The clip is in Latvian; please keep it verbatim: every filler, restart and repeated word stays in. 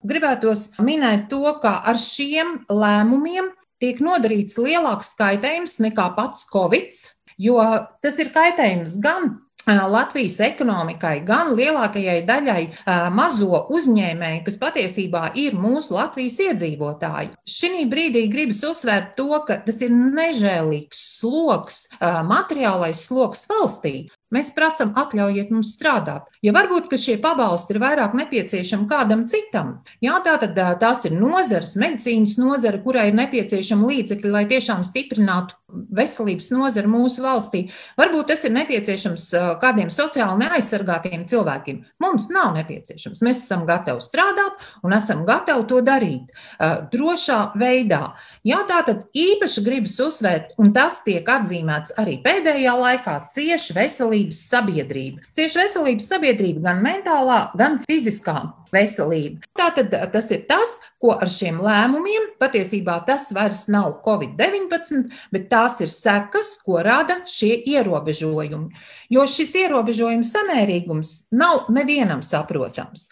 gribētos minēt to, ka ar šiem lēmumiem tiek nodarīts lielāks kaitējums nekā pats Covid, jo tas ir kaitējums gan Latvijas ekonomikai, gan lielākajai daļai mazo uzņēmēju, kas patiesībā ir mūsu Latvijas iedzīvotāji. Šī brīdī gribas uzsvērt to, ka tas ir nežēlīgs sloks, materiālais sloks valstī. Mēs prasam, atļaujiet mums strādāt. Ja varbūt, ka šie pabalsti ir vairāk nepieciešami kādam citam, jā, tātad tās ir nozares, medicīnas nozara, kurai ir nepieciešama līdzekļi, lai tiešām stiprinātu veselības nozara mūsu valstī. Varbūt tas ir nepieciešams kādiem sociāli neaizsargātiem cilvēkiem. Mums nav nepieciešams. Mēs esam gatavi strādāt un esam gatavi to darīt drošā veidā. Jā, tātad īpaši gribas uzsvērt, un tas tiek atzīmēts arī pēdējā laikā, cieši veselības sabiedrība. Cieši veselības sabiedrība gan mentālā, gan fiziskā veselība. Tātad tas ir tas, ko ar šiem lēmumiem, patiesībā tas vairs nav Covid deviņpadsmit, bet tās ir sekas, ko rada šie ierobežojumi. Jo šis ierobežojums samērīgums nav nevienam saprotams.